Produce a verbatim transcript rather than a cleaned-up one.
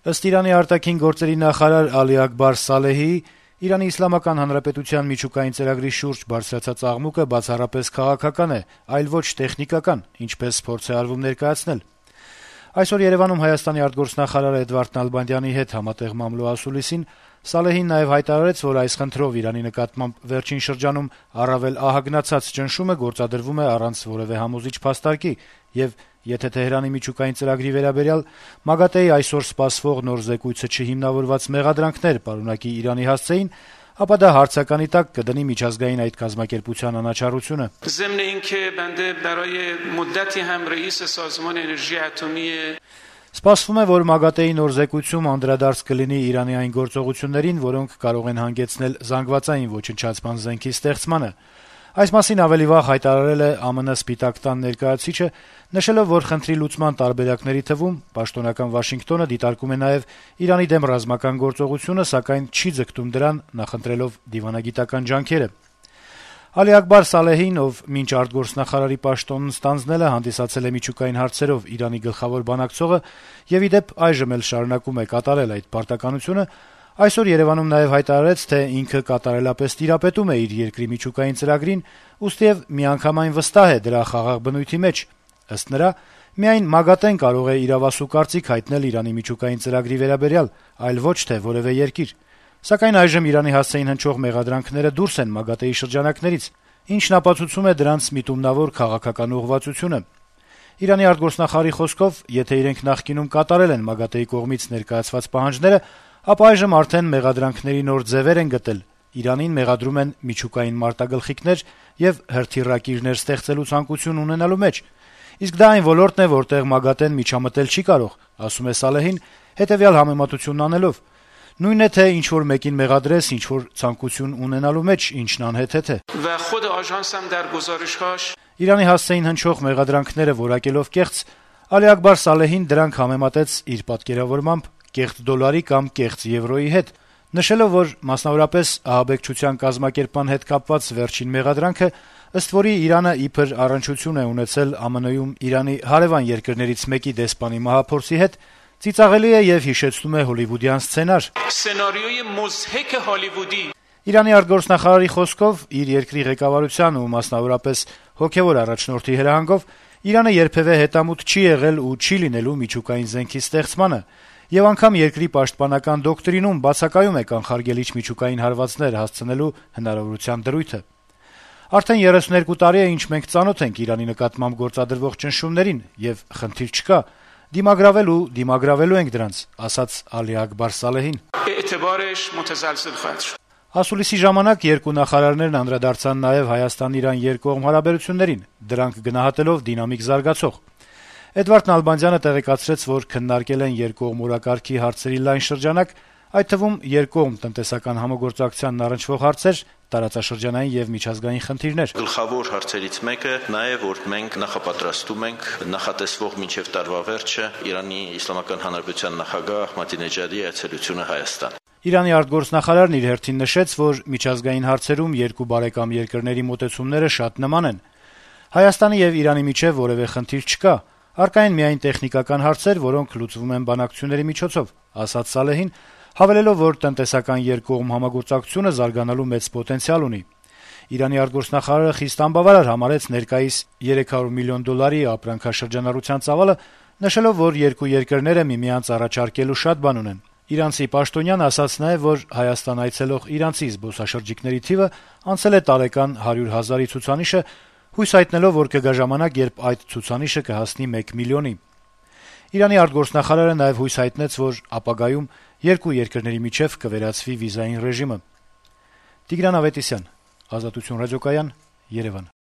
Ըստ Իրանի արտաքին գործերի նախարար Ալի Աքբար Սալեհիի, Իրանի Իսլամական Հանրապետության միջուկային ծրագրի շուրջ բարձրացած աղմուկը բացառապես քաղաքական է, այլ ոչ տեխնիկական, ինչպես փորձ է արվում ներկայացնել։ Այսօր Երեւանում Հայաստանի արտգործնախարար Էդվարդ Նալբանդյանի հետ համատեղ մամլո ասուլիսին Սալեհին նաեւ հայտարարեց, որ այս խնդրով Իրանի նկատմամբ վերջին շրջանում առավել ահագնացած ճնշումը գործադրվում է առանց որեւէ համոզիչ փաստարկի, եւ եթե Թեհրանի միջուկային ծրագրի վերաբերյալ ՄԱԳԱՏԷ-ի այսօր սպասվող նոր զեկույցը չհիմնավորված մեղադրանքներ պարունակի Իրանի հասցեին, ապա դա հարցականի տակ կդնի միջազգային այդ կազմակերպության անաչառությունը։ Սպասվում է, որ ՄԱԳԱՏԷ-ի նոր զեկույցում անդրադարձ կլինի Իրանի այն գործողություններին, որոնք կարող են հանգեցնել զանգվածային ոչնչացման զենքի ստեղծմանը։ Այս մասին ավելի վաղ հայտարարել է ԱՄՆ Սպիտակ տան ներկայացուցիչը, նշելով, որ խնդրի լուծման տարբերակների թվում պաշտոնական Վաշինգտոնը դիտարկում է նաև Իրանի դեմ ռազմական գործողությունը, սակայն չի ձգտում դրան, նախընտրելով դիվանագիտական ջանքերը։ Ալի Աքբար Սալեհին, ով մինչ արտգործնախարարի պաշտոնն ստանձնել է, հանդիսացել է միջուկային հարցերով Իրանի գլխավոր բանակցողը եւ ի դեպ այժմ էլ շարունակում է կատարել այդ պարտականությունը, այսօր Երեւանում նաեւ հայտարարեց, թե ինքը կատարելապես տիրապետում է իր երկրի միջուկային ծրագրին, ուստիև միանգամայն վստահ է դրա խաղաղ բնույթի մեջ։ Ըստ նրա, միայն ՄԱԳԱՏԷ-ն կարող է իրավասու կարծիք հայտնել Իրանի միջուկային ծրագրի վերաբերյալ, այլ ոչ թե որեւէ երկիր։ Սակայն այժմ Իրանի հասցեին հնչող մեղադրանքները դուրս են ՄԱԳԱՏԷ-ի շրջանակներից, ինչն ապացուցում է դրանց միտումնավոր քաղաքական ուղղվածությունը։ Իրանի արտգործնախարարի խոսքով, եթե իրենք նախկինում կատարել են ՄԱԳԱՏԷ-ի կողմից ներկայացված պահանջները, ապա այժմ արդեն մեղադրանքների նոր ձևեր են գտել։ Իրանին մեղադրում են միջուկային մարտագլխիկներ եւ հրթիռակիրներ ստեղծելու ցանկություն ունենալու մեջ։ Իսկ դա այն ոլորտն է, որտեղ ՄԱԳԱՏԷ-ն միջամտել չի կարող, ասում է Սալեհին, հետեւյալ համեմատությունն անելով. Նույնն է, թե ինչ որ մեկին մեղադրես, ինչ որ ցանկություն ունենալու մեջ, ինչն անհեթեթ է։ Իրանի հասցեին հնչող մեղադրանքները որակելով կեղծ, Ալի Աքբար Սալեհին դրանք համեմատեց իր պատկերավորմամբ կեղծ դոլարի կամ կեղծ եվրոյի հետ, նշելով, որ մասնավորապես ահաբեկչության կազմակերպման հետ կապված վերջին մեղադրանքը, ըստ որի Իրանը իբր առնչություն է ունեցել ԱՄՆ-ում Իրանի հարեւան երկրներից մեկի դեսպանի մահափորձի հետ, ծիծաղելի է եւ հիշեցնում է հոլիվուդյան սցենար։ Իրանի արտգործնախարարի խոսքով, իր երկրի ղեկավարության ու մասնավորապես հոգեւոր առաջնորդի հրահանգով Իրանը երբեւէ հետամուտ չի եղել ու չի լինելու միջուկային զենքի ստեղծմանը, եւ անգամ երկրի պաշտպանական դոկտրինում բացակայում է կանխարգելիչ միջուկային հարվածներ հասցնելու հնարավորության դրույթը։ Արդեն երեսուներկու տարի է, ինչ մենք ծանոթ ենք Իրանի նկատմամբ գործադրվող ճնշումներին, եւ խնդիր չկա, դիմագրավել ու դիմագրավելու ենք դրանց, ասաց Ալի Աքբար Սալեհին։ Ասուլիսի ժամանակ երկու նախարարներն անդրադարձան նաեւ Հայաստան-Իրան երկկողմ հարաբերություններին, դրանք գնահատելով դինամիկ զարգացող։ Էդվարդ Նալբանդյանը տեղեկացրեց, որ քննարկել են երկկողմ օրակարգի հարցերի լայն շրջանակ, այդ թվում երկկողմ տնտեսական համագործակցությանն առնչվող հարցեր, տարածաշրջանային եւ միջազգային խնդիրներ։ Գլխավոր հարցերից մեկը նա է, որ մենք նախապատրաստում ենք նախատեսվող մինչեւ տարվա վերջը Իրանի Իսլամական Հանրապետության նախագահ Ահմադինեջադի այցելությունը Հայաստան։ Իրանի արտգործնախարարն իր հերթին նշեց, որ միջազգային հարցերում երկու բարեկամ երկրների մոտեցումները շատ նման են։ Հայաստանի եւ Իրանի միջեւ որեւէ խնդիր չկա, առկա են միայն տեխնիկական հարցեր, որոնք լուծվում են բանակցությունների միջոցով, ասաց Սալեհին, հավելելով, որ տնտեսական երկկողմ համագործակցությունը զարգանալու մեծ պոտենցիալ ունի։ Իրանի արտգործնախարարը խիստ անբավարար համարեց ներկայիս երեք հարյուր միլիոն դոլարի ապրանքաշրջանառության ծավալը, նշելով, որ երկու երկրները միմյանց առաջարկելու շատ բան ունեն։ Իրանցի պաշտոնյան ասաց նաև, որ Հայաստան այցելող իրանցի զբոսաշրջիկների թիվը անցել է տարեկան հարյուր հազարի ցուցանիշը, հույս հայտնելով, որ կգա ժամանակ, երբ այդ ցուցանիշը կհասնի մեկ միլիոնի։ Իրանի արտգործնախարարը նաև հույս հայտնեց, որ ապագայում երկու երկրների միջև կվերացվի վիզային ռեժիմը։ Տիգրան Ավետիսյան, Ազատություն ռադիոկայան, Երևան։